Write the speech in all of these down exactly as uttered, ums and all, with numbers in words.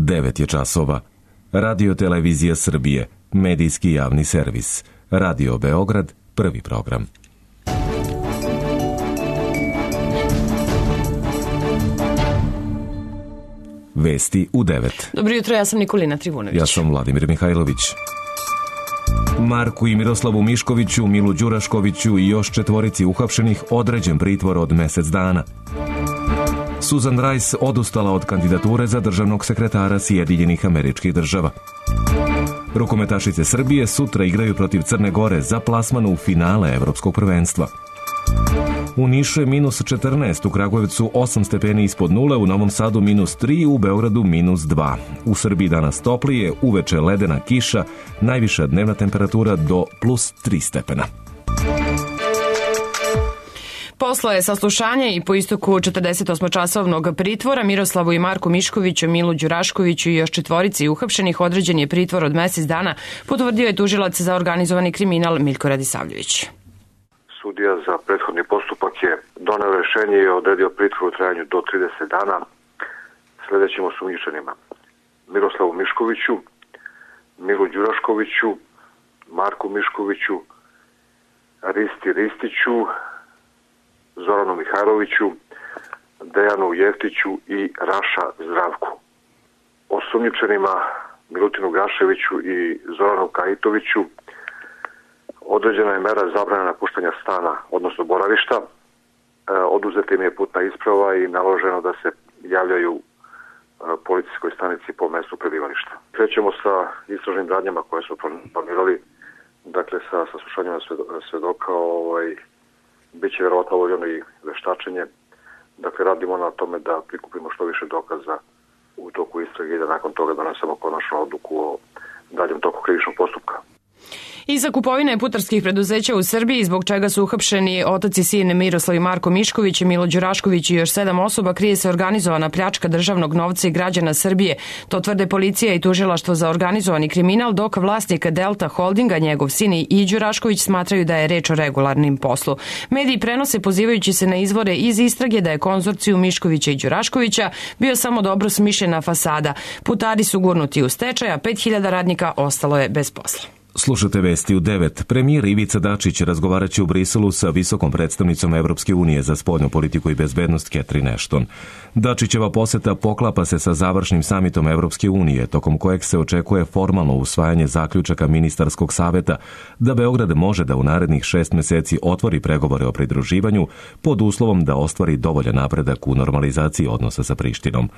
devet je časova. Radio Televizija Srbije, medijski javni servis. Radio Beograd, prvi program. Vesti u devet. Dobro jutro, ja sam Nikolina Trivunović. Ja sam Vladimir Mihajlović. Marku i Miroslavu Miškoviću, Milu Đuraškoviću i još četvorici uhapšenih određen pritvor od mesec dana. Susan Rice odustala od kandidature za državnog sekretara Sjedinjenih Američkih Država. Rukometašice Srbije sutra igraju protiv Crne Gore za plasman u finale Evropskog prvenstva. U Nišu je minus četrnaest, u Kragujevcu osam stepeni ispod nule, u Novom Sadu minus tri, u Beogradu minus dva. U Srbiji danas toplije, uveče ledena kiša, najviša dnevna temperatura do plus tri stepena. Posle je saslušanje i po istoku četrdesetosmočasovnog pritvora Miroslavu i Marku Miškoviću, Milu Đuraškoviću i još četvorici uhapšenih određen je pritvor od mesec dana, potvrdio je tužilac za organizovani kriminal Miljko Radisavljević. Sudija za prethodni postupak je doneo rešenje i odredio pritvor u trajanju do trideset dana sledećim osumnjičenima: Miroslavu Miškoviću, Milu Đuraškoviću, Marku Miškoviću, Risti Ristiću, Zoranu Mihajloviću, Dejanu Jeftiću i Raša Zdravku. Osumnjičenima Milutinu Gaševiću i Zoranu Kajitoviću određena je mera zabrane napuštanja stana, odnosno boravišta. E, oduzeta im je putna isprava i naloženo da se javljaju e, policijskoj stanici po mestu prebivališta. Krećemo sa istražnim radnjama koje su planirali, dakle sa saslušanjima svedoka, ovaj, bit će verovatno obavljeno i veštačenje. Dakle, radimo na tome da prikupimo što više dokaza u toku istrage i da nakon toga donesemo konačnu odluku o daljem toku krivičnog postupka. Iza kupovine putarskih preduzeća u Srbiji, zbog čega su uhapšeni otac i sin Miroslav i Marko Mišković, Milo Đurašković i još sedam osoba, krije se organizovana pljačka državnog novca i građana Srbije. To tvrde policija i tužilaštvo za organizovani kriminal, dok vlasnik Delta Holdinga, njegov sin i Đurašković smatraju da je reč o regularnim poslu. Mediji prenose pozivajući se na izvore iz istrage da je konzorciju Miškovića i Đuraškovića bio samo dobro smišljena fasada. Putari su gurnuti u stečaj, a pet hiljada radnika ostalo je bez posla. Slušate vesti u devet. Premijer Ivica Dačić razgovaraće u Briselu sa visokom predstavnicom Evropske unije za spoljnu politiku i bezbednost Catherine Ashton. Dačićeva poseta poklapa se sa završnim samitom Evropske unije, tokom kojeg se očekuje formalno usvajanje zaključaka ministarskog saveta da Beograd može da u narednih šest meseci otvori pregovore o pridruživanju pod uslovom da ostvari dovoljan napredak u normalizaciji odnosa sa Prištinom.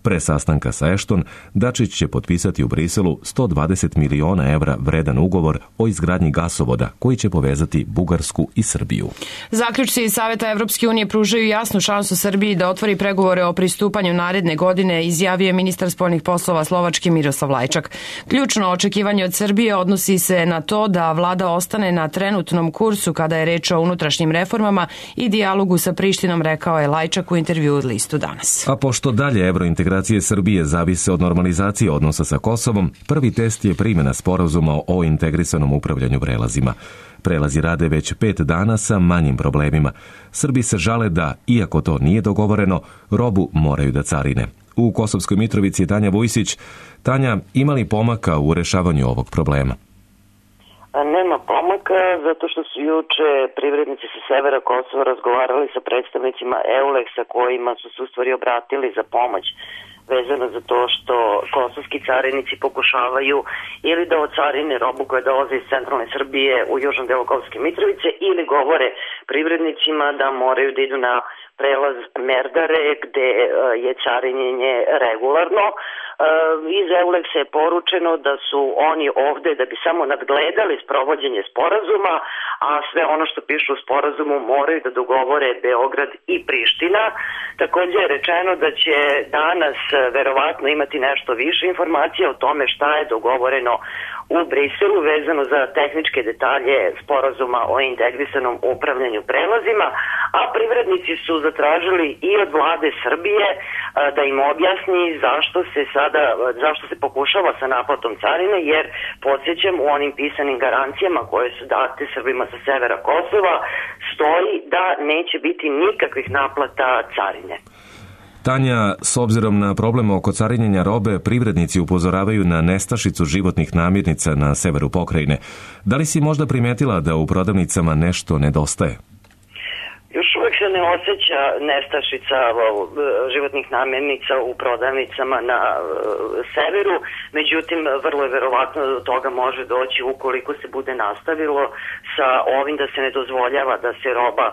Pre sastanka sa Ashton, Dačić će potpisati u Briselu sto dvadeset miliona evra vredan ugovor o izgradnji gasovoda koji će povezati Bugarsku i Srbiju. Zaključci Saveta Evropske unije pružaju jasnu šansu Srbiji da otvori pregovore o pristupanju naredne godine, izjavio je ministar spoljnih poslova Slovačke Miroslav Lajčak. Ključno očekivanje od Srbije odnosi se na to da vlada ostane na trenutnom kursu kada je reč o unutrašnjim reformama i dijalogu sa Prištinom, rekao je Lajčak u intervjuu od listu Danas. A pošto dalje evrointegracije Srbije zavise od normalizacije odnosa sa Kosovom, prvi test je primjena sporazuma o integrisanom upravljanju prelazima. Prelazi rade već pet dana sa manjim problemima. Srbi se žale da, iako to nije dogovoreno, robu moraju da carine. U Kosovskoj Mitrovici je Tanja Vujsić. Tanja, ima li pomaka u rešavanju ovog problema? Nema pomaka, zato što su juče privrednici sa severa Kosova razgovarali sa predstavnicima EULEX-a kojima su se u stvari obratili za pomoć vezano za to što kosovski carinici pokušavaju ili da ocarine robu koja dolaze iz centralne Srbije u južnom delu Kosovske Mitrovice ili govore privrednicima da moraju da idu na prelaz Merdare gde je carinjenje regularno. Iz EULEX-a je poručeno da su oni ovde da bi samo nadgledali sprovođenje sporazuma, a sve ono što piše u sporazumu moraju da dogovore Beograd i Priština. Takođe je rečeno da će danas verovatno imati nešto više informacija o tome šta je dogovoreno u Briselu vezano za tehničke detalje sporazuma o integrisanom upravljanju prelazima, a privrednici su zatražili i od vlade Srbije da im objasni zašto se sada, zašto se pokušava sa naplatom carine, jer podsjećam u onim pisanim garancijama koje su date Srbima sa severa Kosova stoji da neće biti nikakvih naplata carine. Tanja, s obzirom na problem oko carinjenja robe, privrednici upozoravaju na nestašicu životnih namirnica na severu pokrajine. Da li si možda primetila da u prodavnicama nešto nedostaje? Još uvek se ne osjeća nestašica životnih namirnica u prodavnicama na severu, međutim vrlo je verovatno da do toga može doći ukoliko se bude nastavilo sa ovim da se ne dozvoljava da se roba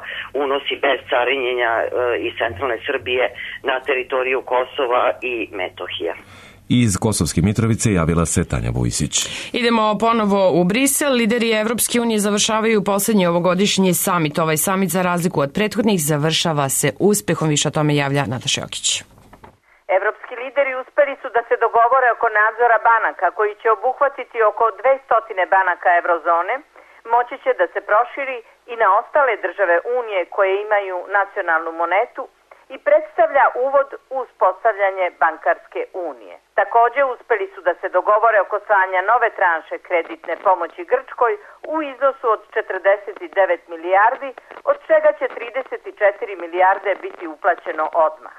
unosi bez carinjenja iz centralne Srbije na teritoriju Kosova i Metohije. Iz Kosovske Mitrovice javila se Tanja Vujsić. Idemo ponovo u Brisel. Lideri Evropske unije završavaju poslednji ovogodišnji samit. Ovaj samit, za razliku od prethodnih, završava se uspehom. Više o tome javlja Nataša Jokić. Evropski lideri uspeli su da se dogovore oko nadzora banaka, koji će obuhvatiti oko dvesta banaka eurozone. Moći će da se proširi i na ostale države Unije koje imaju nacionalnu monetu i predstavlja uvod u uspostavljanje bankarske unije. Takođe, uspeli su da se dogovore oko slanja nove tranše kreditne pomoći Grčkoj u iznosu od četrdeset devet milijardi, od čega će trideset četiri milijarde biti uplaćeno odmah.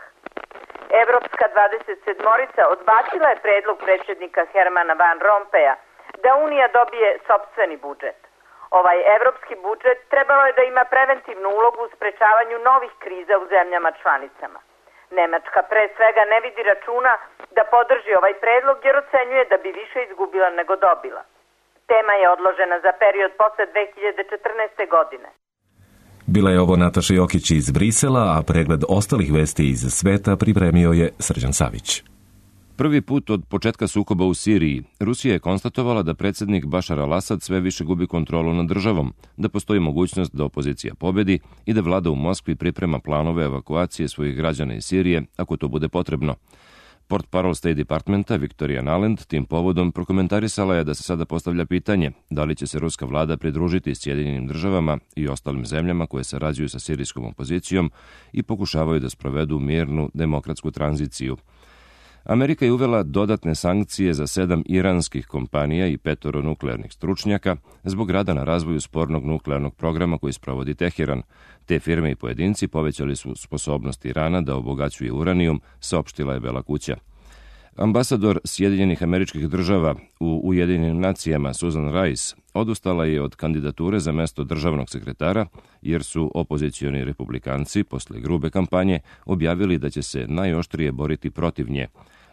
Evropska dvadeset sedmorica odbacila je predlog predsjednika Hermana Van Rompeja da Unija dobije sopstveni budžet. Ovaj evropski budžet trebalo je da ima preventivnu ulogu u sprečavanju novih kriza u zemljama članicama. Nemačka pre svega ne vidi računa da podrži ovaj predlog jer ocenjuje da bi više izgubila nego dobila. Tema je odložena za period posle dve hiljade četrnaeste. godine. Bila je ovo Nataša Jokić iz Brisela, a pregled ostalih vesti iz sveta pripremio je Srđan Savić. Prvi put od početka sukoba u Siriji, Rusija je konstatovala da predsjednik Bašar al-Asad sve više gubi kontrolu nad državom, da postoji mogućnost da opozicija pobedi i da vlada u Moskvi priprema planove evakuacije svojih građana iz Sirije ako to bude potrebno. Portparol State Departmenta Victoria Nuland tim povodom prokomentarisala je da se sada postavlja pitanje da li će se ruska vlada pridružiti Sjedinjenim državama i ostalim zemljama koje sarađuju sa sirijskom opozicijom i pokušavaju da sprovedu mirnu demokratsku tranziciju. Amerika je uvela dodatne sankcije za sedam iranskih kompanija i petoro nuklearnih stručnjaka zbog rada na razvoju spornog nuklearnog programa koji sprovodi Teheran. Te firme i pojedinci povećali su sposobnost Irana da obogaćuje uranijum, saopštila je Bela kuća. Ambasador Sjedinjenih Američkih Država u Ujedinjenim nacijama Susan Rice odustala je od kandidature za mesto državnog sekretara jer su opozicioni republikanci posle grube kampanje objavili da će se najoštrije boriti protiv nje.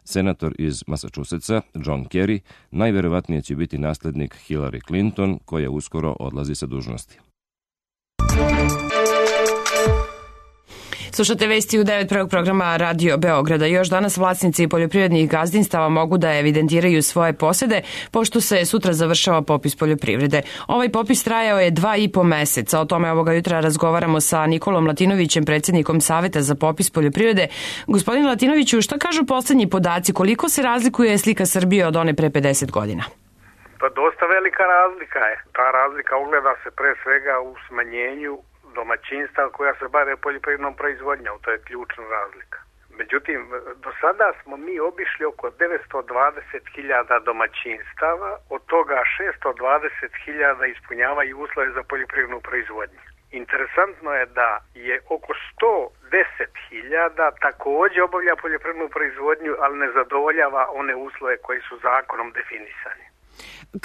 Senator iz Massachusettsa, John Kerry, najverovatnije će biti naslednik Hillary Clinton, koja uskoro odlazi sa dužnosti. Slušate vesti u devet prvog programa Radio Beograda. Još danas vlasnici poljoprivrednih gazdinstava mogu da evidentiraju svoje posede, pošto se sutra završava popis poljoprivrede. Ovaj popis trajao je dva i po meseca. O tome ovoga jutra razgovaramo sa Nikolom Latinovićem, predsjednikom Saveta za popis poljoprivrede. Gospodin Latinoviću, šta kažu poslednji podaci? Koliko se razlikuje slika Srbije od one pre pedeset godina? Pa dosta velika razlika je. Ta razlika ogleda se pre svega u smanjenju domaćinstva koja se bave poljoprivrednom proizvodnjom, to je ključna razlika. Međutim, do sada smo mi obišli oko devetsto dvadeset hiljada domaćinstava, od toga šesto dvadeset hiljada ispunjavaju uslove za poljoprivrednu proizvodnju. Interesantno je da je oko sto deset hiljada takođe obavlja poljoprivrednu proizvodnju, ali ne zadovoljava one uslove koji su zakonom definisani.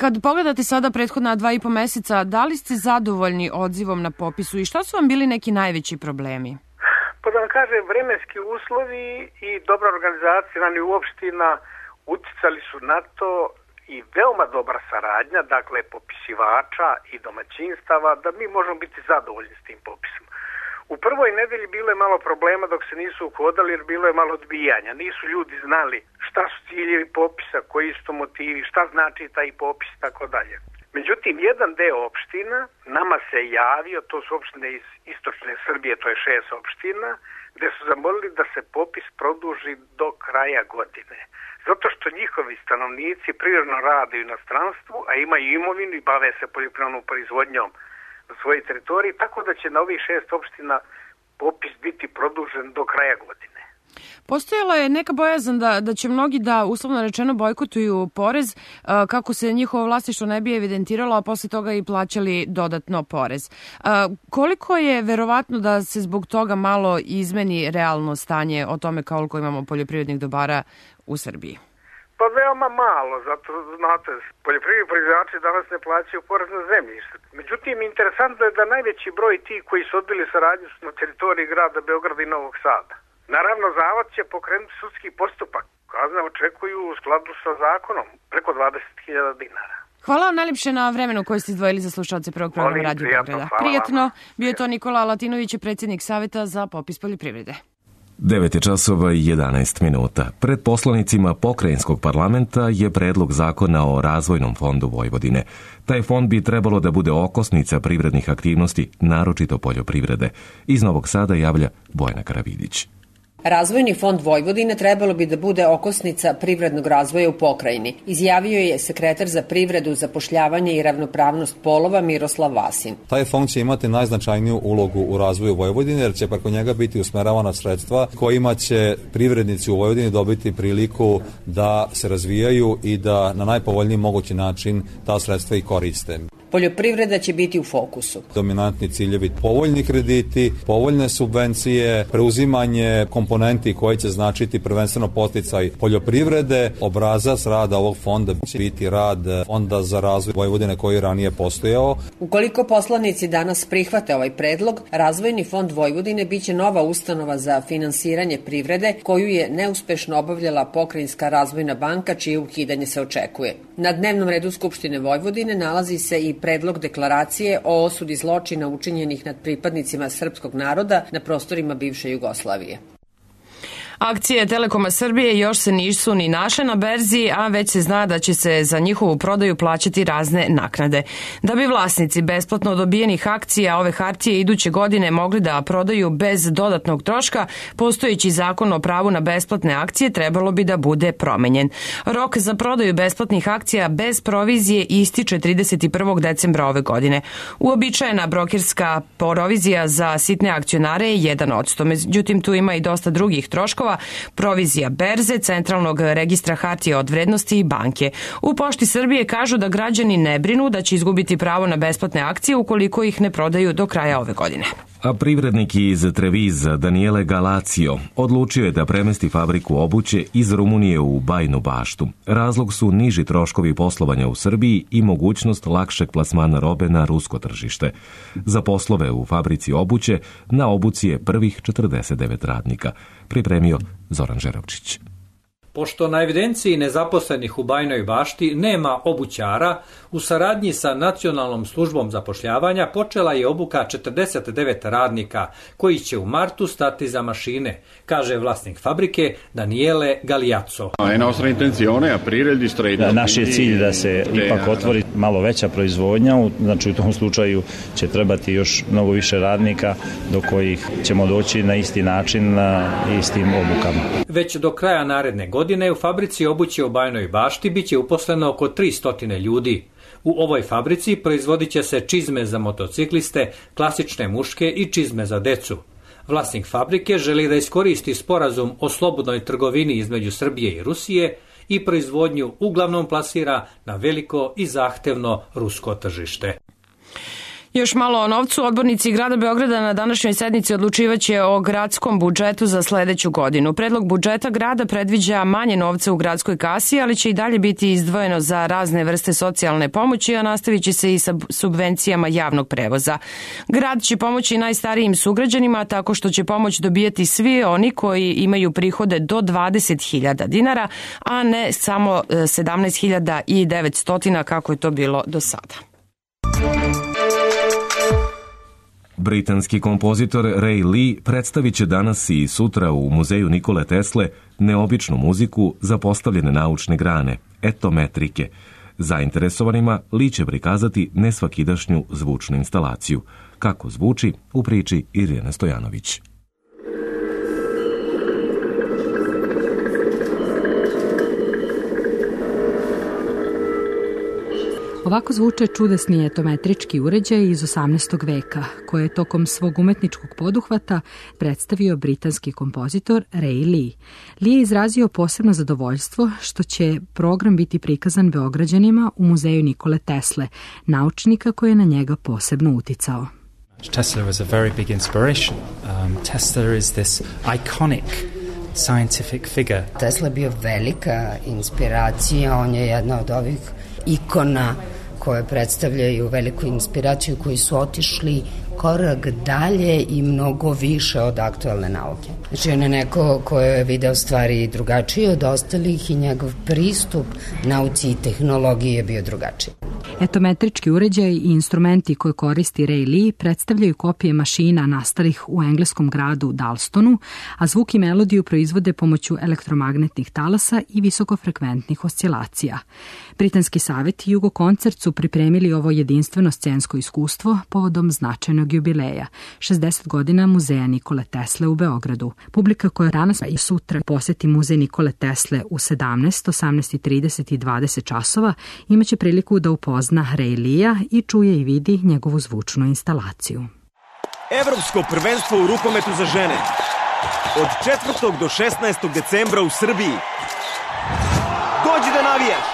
Kad pogledate sada prethodna dva i po meseca, da li ste zadovoljni odzivom na popisu i šta su vam bili neki najveći problemi? Pa da vam kažem, vremenski uslovi i dobra organizacija na nivou opština uticali su na to i veoma dobra saradnja, dakle popisivača i domaćinstava, da mi možemo biti zadovoljni s tim popisom. U prvoj nedelji bilo je malo problema dok se nisu uhodali jer bilo je malo odbijanja. Nisu ljudi znali šta su ciljevi popisa, koji su to motivi, šta znači taj popis i tako dalje. Međutim, jedan deo opština nama se javio, to su opštine iz istočne Srbije, to je šest opština, gde su zamolili da se popis produži do kraja godine. Zato što njihovi stanovnici prirodno rade u inostranstvu, a imaju imovinu i bave se poljoprivrednom proizvodnjom na svojoj teritoriji, tako da će na ovih šest opština popis biti produžen do kraja godine. Postojala je neka bojazan da, da će mnogi da, uslovno rečeno, bojkotuju porez kako se njihovo vlasništvo ne bi evidentiralo, a posle toga i plaćali dodatno porez. Koliko je verovatno da se zbog toga malo izmeni realno stanje o tome koliko imamo poljoprivrednih dobara u Srbiji? Pa veoma malo, zato znate, poljoprivredni proizvođači danas ne plaćaju porez na zemljište. Međutim, interesantno je da najveći broj tih koji su odbili saradnju su na teritoriji grada Beograda i Novog Sada. Naravno, Zavod će pokrenuti sudski postupak. Kazne očekuju u skladu sa zakonom preko dvadeset hiljada dinara. Hvala vam najljepše na vremenu koje ste izdvojili za slušalce prvog programa Radio Beograda. Prijatno, bio je to Nikola Latinović, predsjednik Saveta za popis poljoprivrede. devet je časova i jedanaest minuta. Pred poslanicima Pokrajinskog parlamenta je predlog zakona o Razvojnom fondu Vojvodine. Taj fond bi trebalo da bude okosnica privrednih aktivnosti, naročito poljoprivrede. Iz Novog Sada javlja Bojana Karavidić. Razvojni fond Vojvodine trebalo bi da bude okosnica privrednog razvoja u pokrajini, izjavio je sekretar za privredu, zapošljavanje i ravnopravnost polova Miroslav Vasin. Taj fond će imati najznačajniju ulogu u razvoju Vojvodine, jer će preko njega biti usmeravana sredstva kojima će privrednici u Vojvodini dobiti priliku da se razvijaju i da na najpovoljniji mogući način ta sredstva i koriste. Poljoprivreda će biti u fokusu. Dominantni ciljevi povoljni krediti, povoljne subvencije, preuzimanje komponenti koje će značiti prvenstveno podsticaj poljoprivrede. Obrazac rada ovog fonda će biti rad Fonda za razvoj Vojvodine koji je ranije postojao. Ukoliko poslanici danas prihvate ovaj predlog, Razvojni fond Vojvodine biće nova ustanova za finansiranje privrede koju je neuspešno obavljala Pokrajinska razvojna banka, čije ukidanje se očekuje. Na dnevnom redu Skupštine Vojvodine nalazi se i predlog deklaracije o osudi zločina učinjenih nad pripadnicima srpskog naroda na prostorima bivše Jugoslavije. Akcije Telekoma Srbije još se nisu ni našle na berzi, a već se zna da će se za njihovu prodaju plaćati razne naknade. Da bi vlasnici besplatno dobijenih akcija ove hartije iduće godine mogli da prodaju bez dodatnog troška, postojeći zakon o pravu na besplatne akcije trebalo bi da bude promenjen. Rok za prodaju besplatnih akcija bez provizije ističe trideset prvog decembra ove godine. Uobičajena brokerska provizija za sitne akcionare je jedan odsto, međutim tu ima i dosta drugih troškova, provizija berze, centralnog registra hartija od vrednosti i banke. U Pošti Srbije kažu da građani ne brinu da će izgubiti pravo na besplatne akcije ukoliko ih ne prodaju do kraja ove godine. A privrednik iz Treviza Daniele Galacio odlučio je da premesti fabriku obuće iz Rumunije u Bajinu Baštu. Razlog su niži troškovi poslovanja u Srbiji i mogućnost lakšeg plasmana robe na rusko tržište. Za poslove u fabrici obuće na obuci je prvih četrdeset devet radnika. Pripremio Zoran Žerovčić. Pošto na evidenciji nezaposlenih u Bajinoj Bašti nema obućara, u saradnji sa Nacionalnom službom zapošljavanja počela je obuka četrdeset devet radnika koji će u martu stati za mašine, kaže vlasnik fabrike Daniele Galiazzo. Naš je cilj da se ipak otvori malo veća proizvodnja, znači u tom slučaju će trebati još mnogo više radnika do kojih ćemo doći na isti način, na istim obukama. Već do kraja naredne godine godine u fabrici obuće u Bajinoj Bašti biće uposleno oko tristo ljudi. U ovoj fabrici proizvodit će se čizme za motocikliste, klasične muške i čizme za decu. Vlasnik fabrike želi da iskoristi sporazum o slobodnoj trgovini između Srbije i Rusije i proizvodnju uglavnom plasira na veliko i zahtevno rusko tržište. Još malo o novcu. Odbornici grada Beograda na današnjoj sednici odlučivaće o gradskom budžetu za sledeću godinu. Predlog budžeta grada predviđa manje novca u gradskoj kasi, ali će i dalje biti izdvojeno za razne vrste socijalne pomoći, a nastavit će se i sa subvencijama javnog prevoza. Grad će pomoći najstarijim sugrađanima tako što će pomoć dobijati svi oni koji imaju prihode do dvadeset hiljada dinara, a ne samo sedamnaest hiljada devetsto kako je to bilo do sada. Britanski kompozitor Ray Lee predstavit će danas i sutra u muzeju Nikole Tesle neobičnu muziku za postavljene naučne grane, etometrike. Zainteresovanima Lee će prikazati nesvakidašnju zvučnu instalaciju. Kako zvuči, u priči Irjana Stojanović. Ovako zvuče čudesni etometrički uređaj iz osamnaestog veka, koje je tokom svog umetničkog poduhvata predstavio britanski kompozitor Ray Lee. Lee je izrazio posebno zadovoljstvo što će program biti prikazan Beograđanima u muzeju Nikole Tesle, naučnika koji je na njega posebno uticao. Tesla was a very big inspiration. Um, Tesla is this iconic scientific figure. Tesla je bio velika inspiracija, on je jedna od ovih ikona koje predstavljaju veliku inspiraciju, koji su otišli korak dalje i mnogo više od aktualne nauke. Znači on je neko ko je video stvari drugačije od ostalih i njegov pristup nauci i tehnologiji je bio drugačiji. Etometrički uređaj i instrumenti koje koristi Ray Lee predstavljaju kopije mašina nastalih u engleskom gradu Dalstonu, a zvuk i melodiju proizvode pomoću elektromagnetnih talasa i visokofrekventnih oscilacija. Britanski savjet i Jugo koncert su pripremili ovo jedinstveno scensko iskustvo povodom značajnog jubileja, šezdeset godina muzeja Nikole Tesle u Beogradu. Publika koja danas i sutra poseti muzej Nikole Tesle u sedamnaest, osamnaest trideset i dvadeset časova imaće priliku da upozna Ray Lee-a i čuje i vidi njegovu zvučnu instalaciju. Evropsko prvenstvo u rukometu za žene. Od četvrtog do šesnaestog decembra u Srbiji. Dođi da navijaš!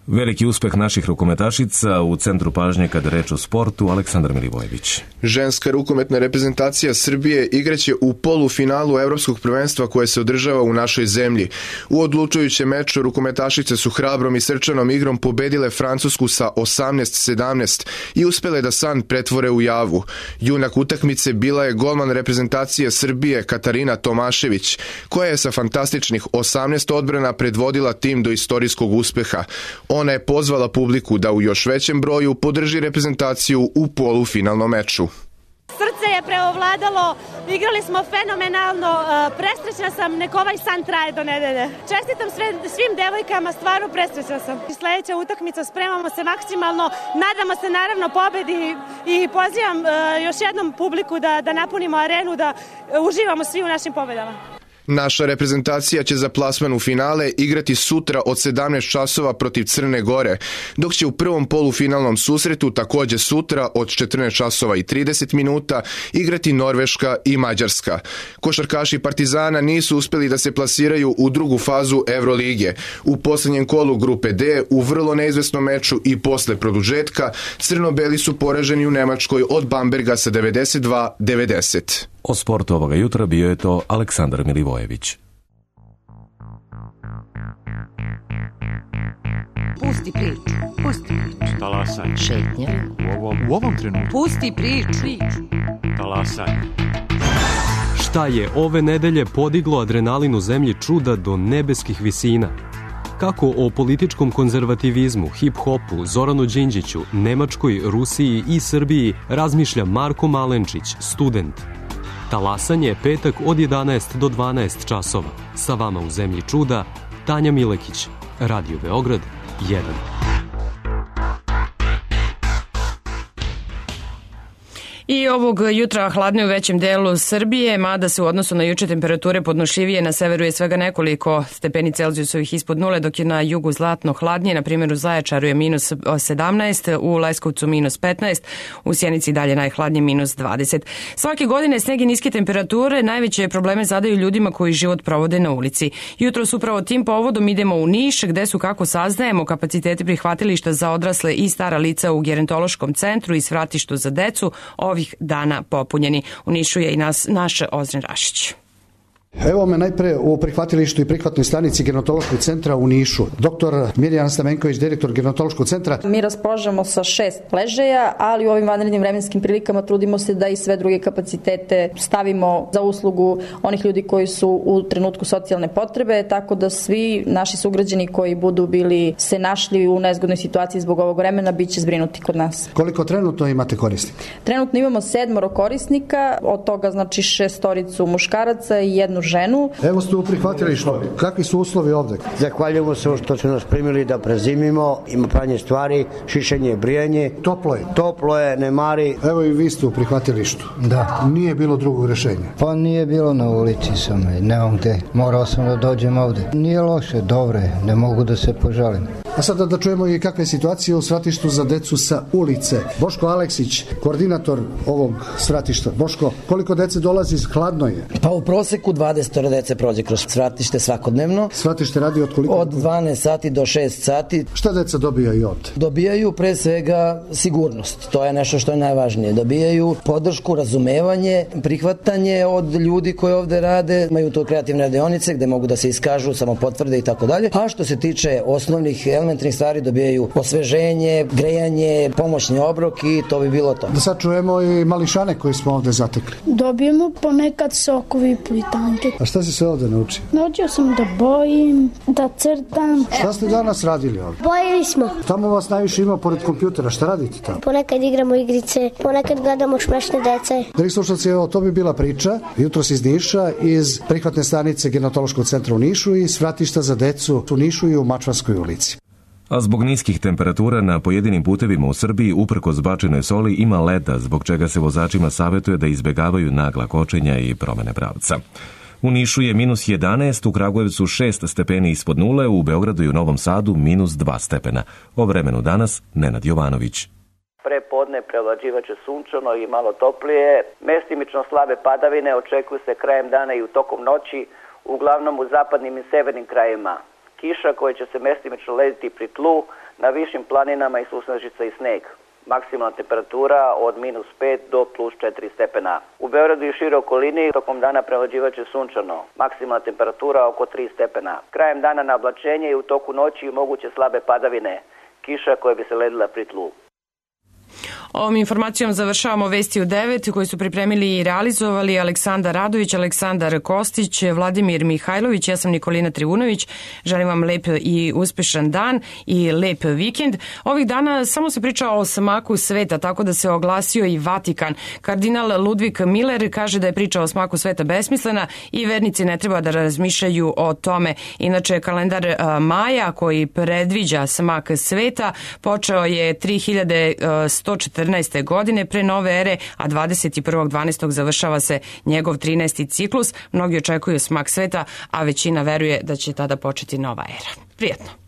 Veliki uspeh naših rukometašica u centru pažnje kada reč o sportu, Aleksandar Milivojević. Ženska rukometna reprezentacija Srbije igraće u polufinalu Evropskog prvenstva koje se održava u našoj zemlji. U odlučujućem meču rukometašice su hrabrom i srčanom igrom pobedile Francusku sa osamnaest sedamnaest i uspele da san pretvore u javu. Junak utakmice bila je golman reprezentacije Srbije Katarina Tomašević, koja je sa fantastičnih osamnaest odbrana predvodila tim do istorijskog uspeha. Ona je pozvala publiku da u još većem broju podrži reprezentaciju u polufinalnom meču. Srce je preovladalo, igrali smo fenomenalno, presrećna sam, nek ovaj san traje do nedelje. Čestitam sve, svim devojkama, stvarno presrećna sam. Sljedeća utakmica, spremamo se maksimalno, nadamo se naravno pobedi i pozivam još jednom publiku da, da napunimo arenu, da uživamo svi u našim pobedama. Naša reprezentacija će za plasman u finale igrati sutra od sedamnaest časova protiv Crne Gore, dok će u prvom polufinalnom susretu takođe sutra od četrnaest časova i trideset minuta igrati Norveška i Mađarska. Košarkaši Partizana nisu uspeli da se plasiraju u drugu fazu Evrolige. U poslednjem kolu grupe D, u vrlo neizvesnom meču i posle produžetka, crno-beli su poraženi u Nemačkoj od Bamberga sa devedeset dva devedeset. O sportu ovoga jutra bio je to Aleksandar Milivojević. Pusti priču, pusti priču. Talasaj. Šetnja. U ovom, u ovom trenutku. Pusti priču. Talasaj. Šta je ove nedelje podiglo adrenalin u zemlji čuda do nebeskih visina? Kako o političkom konzervativizmu, hip-hopu, Zoranu Đinđiću, Nemačkoj, Rusiji i Srbiji razmišlja Marko Malenčić, student. Talasanje petak od jedanaest do dvanaest časova. Sa vama u zemlji čuda, Tanja Milekić, Radio Beograd jedan. I ovog jutra hladno u većem delu Srbije, mada se u odnosu na juče temperature podnošljivije, na severu je svega nekoliko stepeni Celzijusovih ispod nule, dok je na jugu zlatno hladnije, na primjer u Zaječaru je minus sedamnaest, u Leskovcu minus petnaest, u Sjenici dalje najhladnije minus dvadeset. Svake godine sneg i niske temperature najveće probleme zadaju ljudima koji život provode na ulici. Jutros upravo tim povodom idemo u Niš, gde su, kako saznajemo, kapaciteti prihvatilišta za odrasle i stara lica u gerontološkom centru i svratištu za decu ovih dana popunjeni. U Nišu je i nas, naš Ozren Rašić. Evo me najpre u prihvatilištu i prihvatnoj stanici gerontološkog centra u Nišu. Doktor Mirjana Stamenković, direktor gerontološkog centra. Mi raspolažemo sa šest ležaja, ali u ovim vanrednim vremenskim prilikama trudimo se da i sve druge kapacitete stavimo za uslugu onih ljudi koji su u trenutku socijalne potrebe, tako da svi naši sugrađani koji budu bili se našli u nezgodnoj situaciji zbog ovog vremena biće zbrinuti kod nas. Koliko trenutno imate korisnika? Trenutno imamo sedmoro korisnika, od toga znači šestoricu muškaraca i jednu ženu. Evo ste u prihvatilištu. Kakvi su uslovi ovde? Zahvaljujemo se što su nas primili da prezimimo. Ima pranje stvari, šišanje, brijanje. Toplo je? Toplo je, ne mari. Evo i vi ste u prihvatilištu. Da. Nije bilo drugog rešenja? Pa nije bilo na ulici sam. Nemam gde. Morao sam da dođem ovde. Nije loše, dobro je. Ne mogu da se požalim. A sada da čujemo i kakva je situacija u svratištu za decu sa ulice. Boško Aleksić, koordinator ovog svratišta. Boško, koliko dece dolazi, hladno je? Pa u proseku dvadeset dece prođe kroz svratište svakodnevno. Svratište radi od koliko? Od dvanaest sati do šest sati. Šta deca dobijaju ovde? Dobijaju pre svega sigurnost. To je nešto što je najvažnije. Dobijaju podršku, razumevanje, prihvatanje od ljudi koji ovde rade. Imaju to kreativne radionice gde mogu da se iskažu, samo potvrde i tako dalje. A što se tiče osnovnih elementarnih stvari, dobijaju osveženje, grejanje, pomoćni obrok i to bi bilo to. Da sad čujemo i mališane koji smo ovde zatekli. Dobijemo ponekad sokovi i plitanke. A šta si se ovde naučio? Naučio sam da bojim, da crtam. Šta ste danas radili ovde? Bojili smo. Tamo vas najviše ima pored kompjutera. Šta radite tamo? Ponekad igramo igrice, ponekad gledamo smešne dece. Dragi slušalci, evo, to bi bila priča jutros iz Niša, iz prihvatne stanice Gerontološkog centra u Nišu i svratišta za decu u Nišu i u Mačvanskoj ulici. A zbog niskih temperatura na pojedinim putevima u Srbiji uprkos bačenoj soli ima leda, zbog čega se vozačima savjetuje da izbegavaju nagla kočenja i promene pravca. U Nišu je minus jedanaest, u Kragujevcu šest stepeni ispod nule, u Beogradu i u Novom Sadu minus dva stepena. O vremenu danas Nenad Jovanović. Pre podne prevlađivaće sunčano i malo toplije. Mestimično slabe padavine očekuju se krajem dana i u tokom noći, uglavnom u zapadnim i severnim krajevima. Kiša koja će se mestimično lediti pri tlu, na višim planinama i susnežica i sneg. Maksimalna temperatura od minus pet do plus četiri stepena. U Beogradu i šire okolini tokom dana prevlađivaće sunčano. Maksimalna temperatura oko tri stepena. Krajem dana na oblačenje i u toku noći moguće slabe padavine. Kiša koja bi se ledila pri tlu. Ovom informacijom završavamo Vesti u devet koji su pripremili i realizovali Aleksandar Radović, Aleksandar Kostić, Vladimir Mihajlović, ja sam Nikolina Trivunović. Želim vam lep i uspešan dan i lep vikend. Ovih dana samo se priča o smaku sveta, tako da se oglasio i Vatikan. Kardinal Ludvig Miller kaže da je priča o smaku sveta besmislena i vernici ne treba da razmišljaju o tome. Inače, kalendar Maja koji predviđa smak sveta počeo je tri hiljade sto četrnaeste. godine pre nove ere, a dvadeset prvog decembra završava se njegov trinaesti ciklus. Mnogi očekuju smak sveta, a većina veruje da će tada početi nova era. Prijetno!